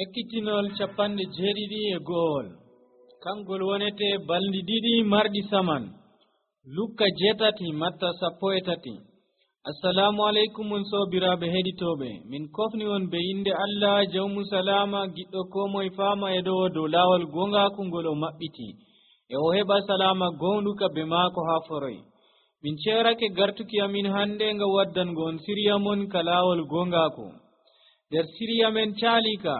Ekkitinol capanɗe jeeɗiɗi e go'ol kangol wonete balɗi ɗiɗi marɗi saman. Lukka 7 Matta 13. Assalamu alaikum on sobiraɓe heɗitoɓe, min kofni on be inde Allah jawmu salama giɗɗo ko moye fama e dow lawol gongaku ngol o maɓɓiti e o heɓa salama gonɗuka be maako ha foroy. Min cerake gartuki amin hande nga waddango on siriya mon ka lawol gongaku. Der siriya men calika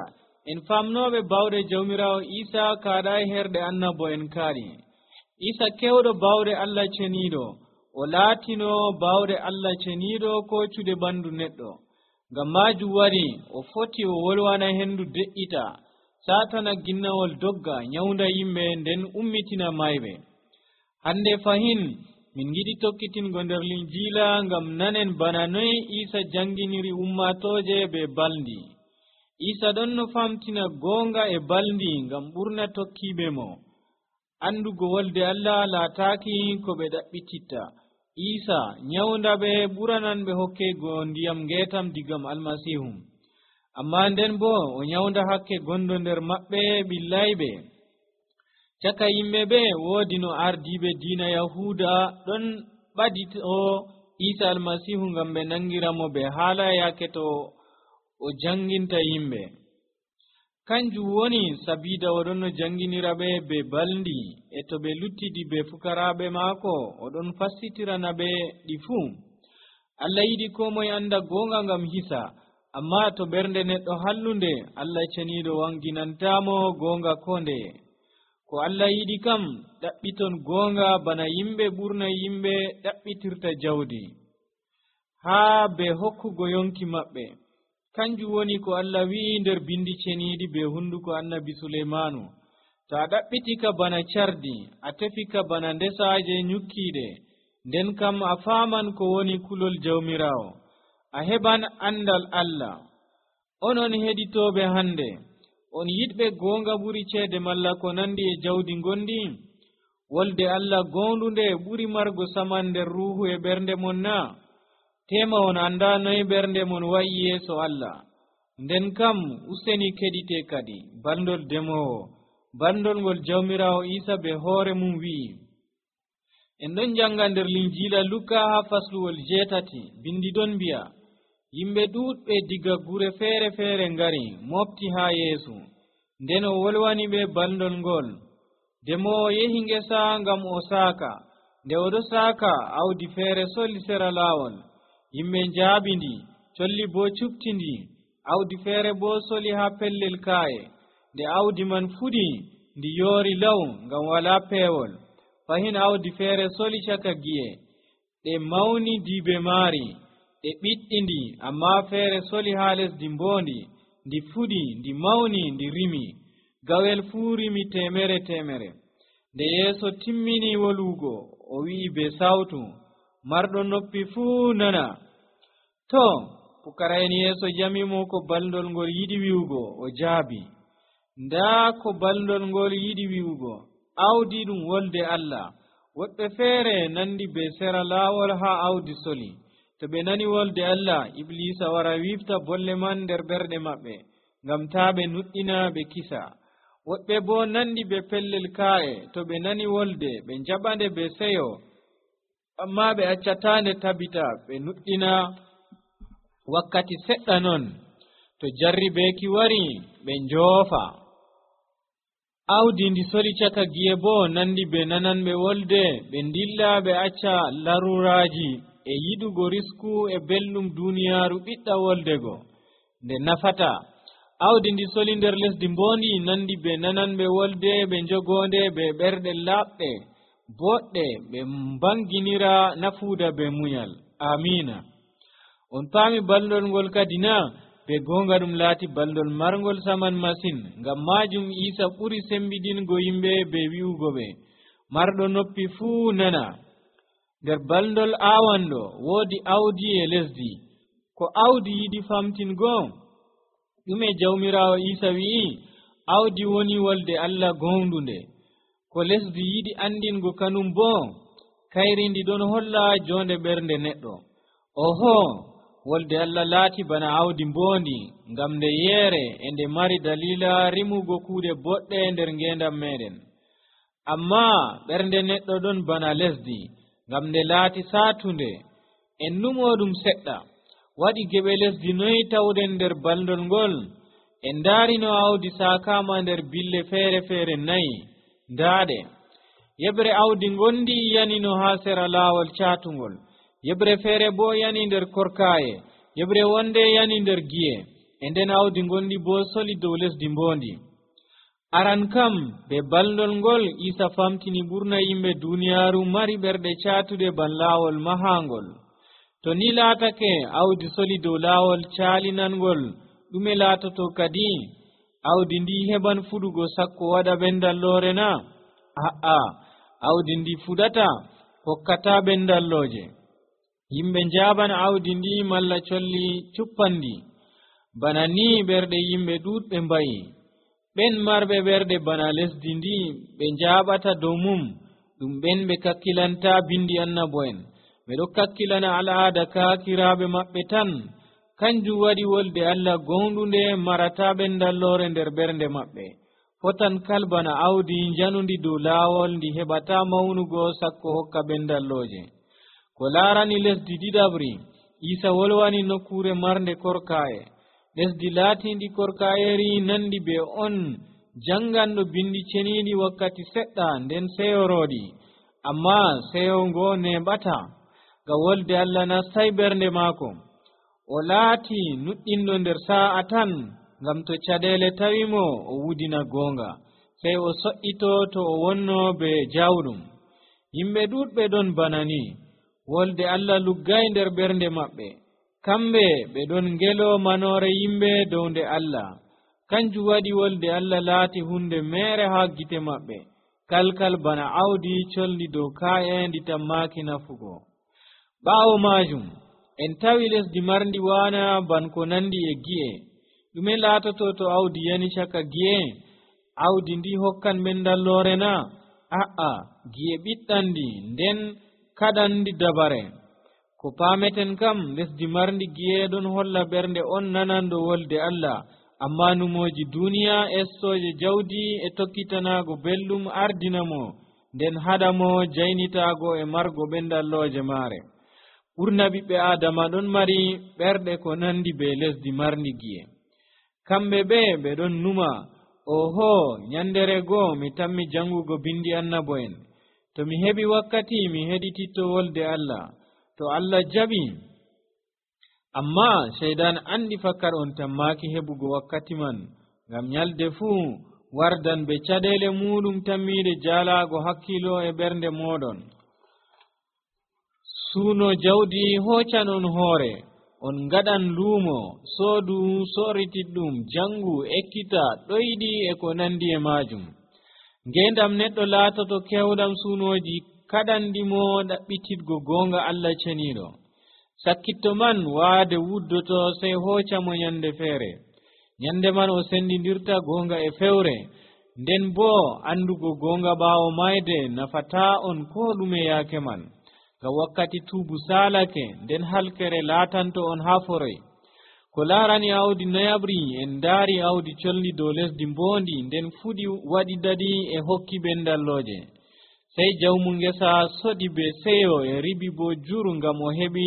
en famnoɓe bawɗe jawmirawo Isa kaɗa e herɗe annabo en kaaɗi. Isa kewɗo bawɗe Allah ceniɗo o laatino bawɗe Allah ceniɗo ko cuɗe ɓandu neɗɗo. Ngam majum wari o foti o wolwana hendu de'ita, satana ginnawol dogga nyawda yimɓe nden ummitina mayɓe. Hande fahin min giɗi tokkitingo nder Linjila ngam nanen bana noy Isa janginiri ummatoje be balndi. Isa ɗon no famtina gonga e balndi ngam ɓurna tokkiɓe mo. Andugo wolde Allah laataki ko ɓe ɗaɓɓititta. Isa nyawda ɓe ɓuranan ɓe hokkego ndiyam ngetam digam almasihu. Amma nden bo o nyawda hakke gondo nder maɓɓe ɓillayɓe. Caka yimɓe ɓe woodi no ardiɓe diina Yahuda ɗon ɓadito Isa almasihu ngam ɓe nangiramo ɓe haala yake to o janginta yimɓe. Kanjum woni sabida oɗon no janginira ɓe be balndi, e to ɓe luttidi be fukaraɓe maako oɗon fassitirana ɓe ɗi fuu. Allah yiɗi ko moye anda gonga ngam hisa, amma to ɓernde neɗɗo hallunde Allah ceniɗo wanginantamo gonga ko ndeye. Ko Allah yiɗi kam ɗaɓɓiton gonga bana yimɓe ɓurna yimɓe ɗaɓɓitirta jawdi haa be hokkugo yonki maɓɓe. Kanjum woni ko Allah wi'i nder bindi ceniɗi be hunduko annabi Suleimanu. To a ɗaɓɓitika bana cardi, a tefika bana ndesaje nyukkiɗe, nden kam a faman ko woni kulol jawmirawo, a heɓan andal Allah. Onon heɗitoɓe hande, on yiɗɓe gonga ɓuri ceede malla ko nandi e jawdi gondi? Wolde Allah gondunde ɓuri margo saman nder ruhu e ɓernde mon na? Tema on anda noy ɓernde mon wa'i yeeso Allah. Nden kam useni keɗite kadi bandol demowo, bandol ngol jawmirawo Isa be hoore mum wi'i. En ɗon janga nder Linjila Luka ha fasluwol 8 bindi ɗon mbi'a, yimɓe ɗuɗɓe diga gure feere feere ngari mofti ha Yeesu, nden o wolwani ɓe bandol ngol. Demowo yehi ngesa ngam o saaka. Nde oɗo saaka, awdi feere soli sera laawol. Yimɓe njaabindi, colli bo cuftindi. Awdi feere bo soli ha pellel kaaye. Nde awdi man fuɗi, ndi yoori law ngam wala peewol. Fahin awdi feere soli caka gi'e, ɗe mawni diibe maari, ɗe ɓiɗɗindi, amma feere soli ha lesdi mboondi. Ndi fuɗi, ndi mawni, ndi rimi. Gawel fuu rimi temere temere. Nde Yeeso timmini wolugo, o wi'i be sawtu, marɗo noppi fuu nana. To, pukara'en Yeeso jamimo ko balndol ngol yiɗi wi'ugo, o jaabi. Ndaa ko balndol ngol yiɗi wi'ugo, awdi ɗum wolde Allah. Woɓɓe feere nandi be sera laawol ha awdi soli. To ɓe nani wolde Allah, Iblisa wara wifta bolle man nder ɓerɗe maɓɓe, ngam taa ɓe nuɗɗina ɓe kisa. Woɓɓe bo nandi be pellel kaa'e, to ɓe nani wolde ɓe njaɓande be seyo, amma ɓe accatande tabita ɓe nuɗɗina wakkati seɗɗa non. To jarribeeki wari ɓe njoofa. Awdi ndi soli caka gi'e bo nandi be nananɓe wolde, ɓe ndilla ɓe acca laruraji e yiɗugo risku e belɗum duniyaaru ɓiɗɗa woldego nde nafata. Awdi ndi soli nder lesdi mbondi nandi be nananɓe wolde, ɓe njogonde be ɓerɗe laaɓɗe boɗɗe, ɓe mbanginira nafuuda be munyal. Amina. On paami balndol ngol kadi na? Be gonga ɗum laati balndol marngol saman masin. Ngam majum Isa ɓuri sembidingo yimɓe be wi'ugo ɓe, marɗo noppi fuu nana. Nder balndol awanɗo woodi awdi e lesdi. Ko awdi yiɗi famtingo? ɗume jawmirawo Isa wi'i? Awdi woni wolde Allah gondunde. Ko lesdi yiɗi andingo kanum bo? Kayri ndi ɗon holla jonde ɓernde neɗɗo. Oho, wolde Allah laati bana awdi mbondi ngam nde yeere e nde mari dalila rimugo kuuɗe boɗɗe nder ngendam meɗen. Amma ɓernde neɗɗo ɗon bana lesdi ngam nde laati saatunde en numoɗum seɗɗa. Waɗi geɓe lesdi noyi tawden nder baldol ngol? En daarino awdi saakama nder bille feere nayi ndaaɗe. Yeɓre awdi ngondi yanino haa sera laawol caatungol, yeɓre feere bo yani nder korkaaye, yeɓre wonde yani nder giye, e nden awdi ngondi bo soli dow lesdi mbondi. Aran kam be baldol ngol Isa famtini ɓurna yimɓe duniyaaru mari ɓerɗe caatude ban laawol mahangol. To ni laatake awdi soli dow laawol caalinangol, ɗume laatoto kadi? Awdi ndi heɓan fuɗugo sakko waɗa ɓendalloore na? A'a, awdi ndi fuɗata hokkata ɓendallooje. Yimɓe njaaban awdi ndi malla colli cuppandi. Bana ni ɓerɗe yimɓe ɗuɗɓe mbayi. ɓen marɓe ɓerɗe bana lesdi ndi ɓe njaaɓata dow mum, ɗum ɓen ɓe kakkilanta bindi annabo'en. ɓe ɗo kakkilana al'aada kaakiraaɓe maɓɓe tan. Kanjum waɗi wolde Allah gonɗunde marata ɓendalloore nder ɓernde maɓɓe. Fotan kalbana awdi njanundi dow laawol ndi heɓata mawnugo sakko hokka ɓendallooje. Ko laarani lesdi ɗiɗaɓri, Isa wolwani nokkure marnde korkaaye. Lesdi laatindi korkaayeri nandi be on janganɗo bindi ceniiɗi wakkati seɗɗa nden seyoroɗi, amma seyo ngo neɓata ga wolde Allah nastai ɓernde maako. O laati nuɗɗinɗo nder sa'a tan, ngam to caɗeele tawimo o wudina goonga, sey o so'ito to o wonno be jawɗum. Yimɓe ɗuɗɓe ɗon bana ni, wolde Allah luggay nder ɓernde maɓɓe. Kamɓe ɓe ɗon ngelo manoore yimɓe dow nde Allah. Kanjum waɗi wolde Allah laati hunde meere haa gite maɓɓe, kalkal bana awdi colli dow ka'e ndi tammaki nafugo. Ɓaawo maajum en tawi lesdi marndi waana ban ko nandi e gi'e. Ɗume laatoto to awdi yani caka gi'e? Awdi ndi hokkan ɓendalloore na? A'a, gi'e ɓiɗɗandi nden kaɗandi dabare. Ko paameten kam lesdi marndi gi'e ɗon holla ɓernde on nanando wolde Allah, amma numoji duniya estoje jawdi e tokkitanago belɗum ardinamo nden haɗamo jaynitago e margo ɓendallooje maare. Ɓurna ɓiɓɓe Adama ɗon mari ɓerɗe ko nandi be lesdi marndi gi'e. Kamɓe ɓe ɗon numa, oho, nyandere goo mi tammi jangugo bindi annabo'en. To mi heɓi wakkati mi heɗititto wolde Allah. To Allah jaɓi, amma sheydan andi fakkar on tammaki heɓugo wakkati man, ngam nyalde fuu wardan be caɗeele muɗum tammiide jaalaago hakkilo e ɓernde moɗon. Suuno jawdi hoccan on hoore, on ngaɗan luumo, soodu sorritiɗɗum, jangu, ekkita, ɗoyɗi e ko nandi e maajum. Ngendam neɗɗo laatoto kewɗam suunoji kaɗandimo ɗaɓɓititgo goonga Allah ceniiɗo. Sakkitto man waade wuddoto sey hoccamo nyande feere. Nyande man o sendindirta goonga e fewre. Nden bo andugo goonga ɓaawo mayde nafata on ko ɗume yaake man. Ga wakkati tuubu saalake, nden halkere laatanto on haa foroy. Ko laarani awdi nayaɓri en daari awdi colli dow lesdi mboondi, nden fuɗi waɗi dadi e hokki ɓendallooje. Sey jawmu ngesa soɗi be seyo e ribi bo juru ngam o heɓi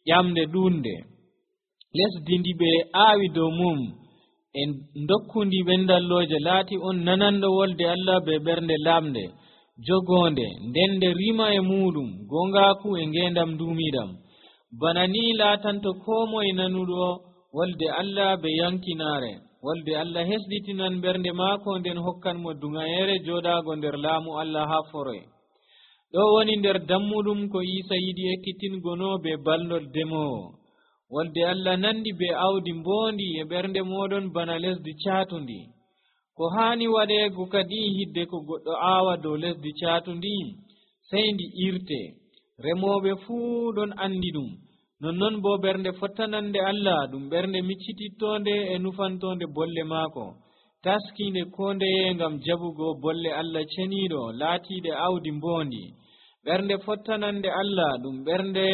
ƴamde ɗuunde. Lesdi ndi ɓe aawi dow mum en dokkundi ɓendallooje laati on nananɗo wolde Allah be ɓernde lamde, jogonde, nden nde rima e muɗum, gongaku e ngendam duumiɗam. Bana ni laatanto ko moye nanuɗo wolde Allah be yankinaare. Wolde Allah hesɗitinan ɓernde maako nden hokkan mo dungayere joɗaago nder laamu Allah haa foroy. Ɗo woni nder dammuɗum ko Isa yiɗi ekkitingono be ballol demowo. Wolde Allah nandi be awdi mboondi e ɓernde moɗon bana lesdi caatundi. Ko haani waɗeego kadi hidde ko goɗɗo aawa dow lesdi caatundi, sey ndi irte. Remooɓe fuu ɗon andi ɗum. Nonnon bo ɓernde fottanande Allah ɗum ɓernde miccitittonde e nufantonde bolle maako, taskinde ko ndeye ngam jabugo bolle Allah ceniiɗo laatiiɗe awdi mboondi. Ɓernde fottanande Allah ɗum ɓernde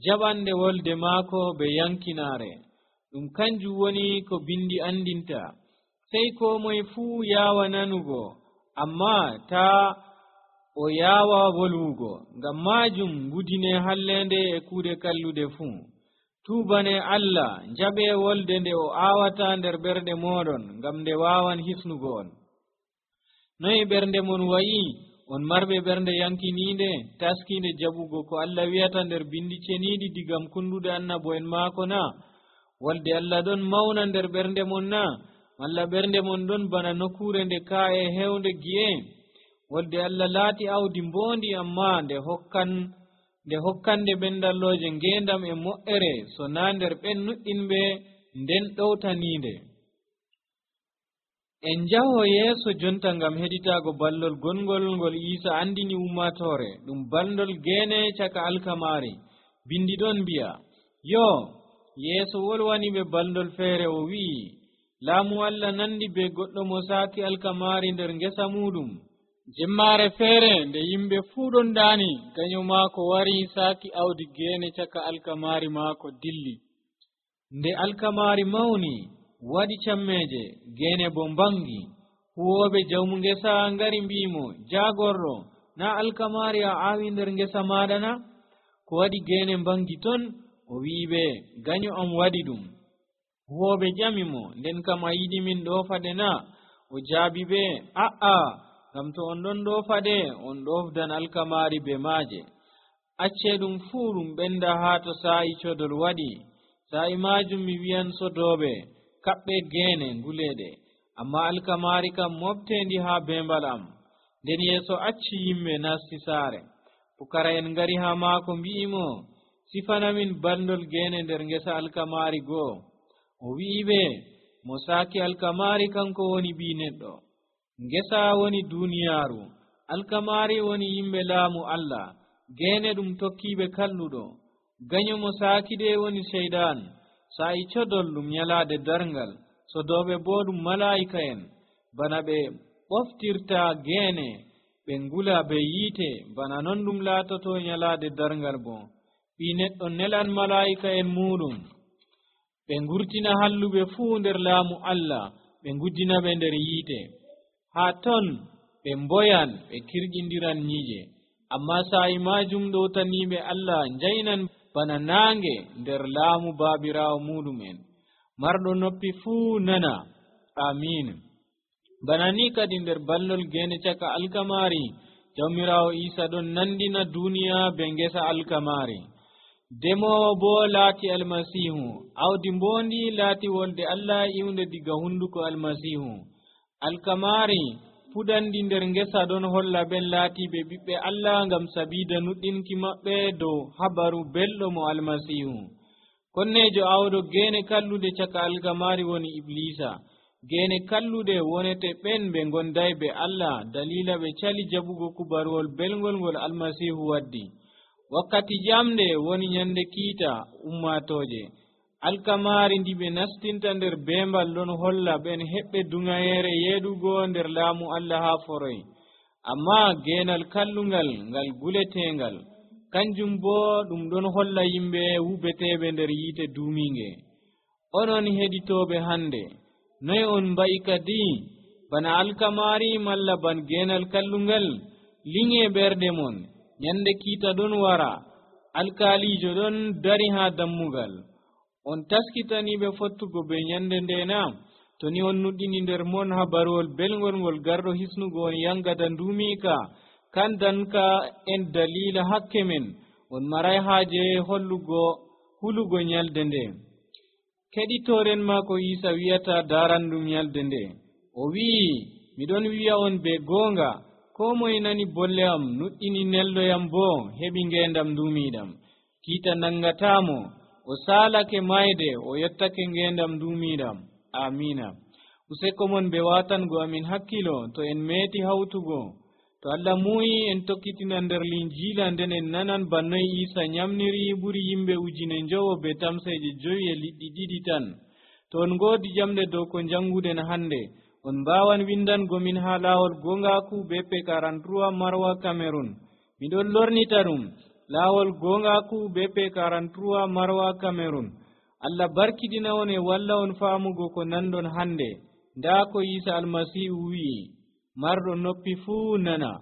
jaɓande wolde maako be yankinaare ɗum kanjum woni ko bindi andinta sey ko moye fuu yaawa nanugo amma taa o yaawa wolwugo ngam maajum gudine hallende e kuuɗe kallude fuu tuubane Allah njaɓe wolde nde o aawata nder ɓerɗe mooɗon ngam nde waawan hisnugo on noy ɓernde mon wayi on marɓe ɓernde yankiniinde taskiinde jaɓugo ko Allah wi'ata nder bindi ceniiɗi digam kundude annabo'en maako na wolde Allah ɗon mawna nder ɓernde mon na walla ɓernde mon ɗon bana nokkure nde ka'e hewnde gi'e wolde Allah laati awdi mboondi amma nde hokkande ɓendallooje ngeendam e mo'ere so naa nder ɓen nuɗɗinɓe nden ɗowtaniinde en njaho yeeso jonta ngam heɗitaago ballol gongol ngol Iisa andini ummatoore ɗum ballol geene caka alkamaari bindi ɗon mbi'a yo yeeso wolwani ɓe ballol feere o wi'i laamu Allah nandi be goɗɗo mo saaki alkamaari nder ngesa muɗum jemmaare feere nde yimɓe fuu ɗon ɗaani gaño maako wari saaki awdi geene caka alkamaari maako dilli nde alkamaari mawni waɗi cammeeje geene bo mbangi huwooɓe jawmu ngesa ngari mbi'imo jaagorɗo na alkamaari a aawi nder ngesa maaɗa na ko waɗi geene mbangi ton o wi'iɓe gaño am waɗi ɗum huwooɓe ƴamimo nden kam a yiɗi min ɗoofaɗe na o jaabi ɓe a'a ngam to on ɗon ɗoofaɗe on ɗofdan alkamaari be maaje acce ɗum fuu ɗum ɓenda haa to saa'i codol waɗi saa'i maajum mi wi'an sodooɓe kaɓɓe geene nguleeɗe amma alkamaari kam mofteendi haa beembal am nden yeeso acci yimɓe nasti saare pukara'en ngari haa maako mbi'imo sifanamin bandol geene nder ngesa alkamaari goo o wi'iɓe mo saaki alkamaari kanko woni ɓii neɗɗo ngesa woni duuniyaaru alkamaari woni yimɓe laamu Allah geene ɗum tokkiiɓe kalluɗo gaño mo saakiɗe woni seydan saa'i codol ɗum nyalaade darngal sodooɓe boo ɗum malaa'ika'en bana ɓe ɓoftirta geene ɓe ngula be yiite bana non ɗum laatoto nyalaade darngal boo ɓii neɗɗo nelan malaa'ika'en muɗum ɓe ngurtina halluɓe fuu nder laamu Allah ɓe nguddina ɓe nder yiite haa ton ɓe mboyan ɓe kirƴindiran nyiije amma saa'i maajum ɗowtaniiɓe Allah njaynan bana naange nder laamu baabiraawo muɗumen marɗo noppi fuu nana amin bana ni kadi nder ballol geene caka alkamaari jawmiraawo Iisa ɗon nandina duuniya be ngesa alkamaari demoowo boo laati almasiihu awdi mboondi laati wolde Allah iwnde diga hunduko almasiihu alkamaari puɗandi nder ngesa ɗon holla ɓen laatiiɓe ɓiɓɓe Allah ngam sabiida nuɗɗinki maɓɓe dow habaru belɗo mo almasiihu konneejo awɗo geene kallude caka alkamaari woni iblisa geene kallude wonete ɓen ɓe ngonday be Allah dalila ɓe cali jaɓugo kubaruwol belngol ngol almasiihu waddi wakkati jamde woni nyande kiita ummatooje alkamaari ndi ɓe nastinta nder beembal ɗon holla ɓen heɓɓe dungayeere yeeɗugo nder laamu Allah haa foroy amma geenal kallungal ngal guleteengal kanjum boo ɗum ɗon holla yimɓe wubeteeɓe nder yiite duumiinge onon heɗitooɓe hannde noy on mba'i kadi bana alkamaari malla ban geenal kallungal liŋe ɓerɗe mon nyande kiita ɗon wara alkaaliijo ɗon dari haa dammugal on taskitaniiɓe fottugo be nyande ndeena to ni on nuɗɗini nder mon habaruwol belngol ngol garɗo hisnugo on yangata nduumiika kandanka en dalila hakke men on maray haaje hulugo nyalde nde keɗitooren maako Iisa wi'ata daarandum nyalde nde o wi'i miɗon wi'a on be goonga ko moye nani bolle am nuɗɗini neldoyam boo heɓi ngeendam nduumiiɗam kiita nangataamo o saalake mayde o yettake ngeendam nduumiiɗam amina useko mon ɓe waatango amin hakkilo to en meeti hawtugo to Allah muuyi en tokkitina nder linjiila nden en nanan bannoy Iisa nyamniri ɓuri yimɓe 9,000 be tamseeje 5 e liɗɗi 2 tan to on ngoodi jamde dow ko jannguden hannde on mbaawan windangomin haa laawol gongaaku BP 43 Marwa Cameroon miɗon lornita ɗum lawol gongaku BP 43 Marwa Cameroon. Allah barkidina on e walla on faamugo ko nandon hande. Nda ko Isa almasihu wi'i, marɗo noppi fuu nana.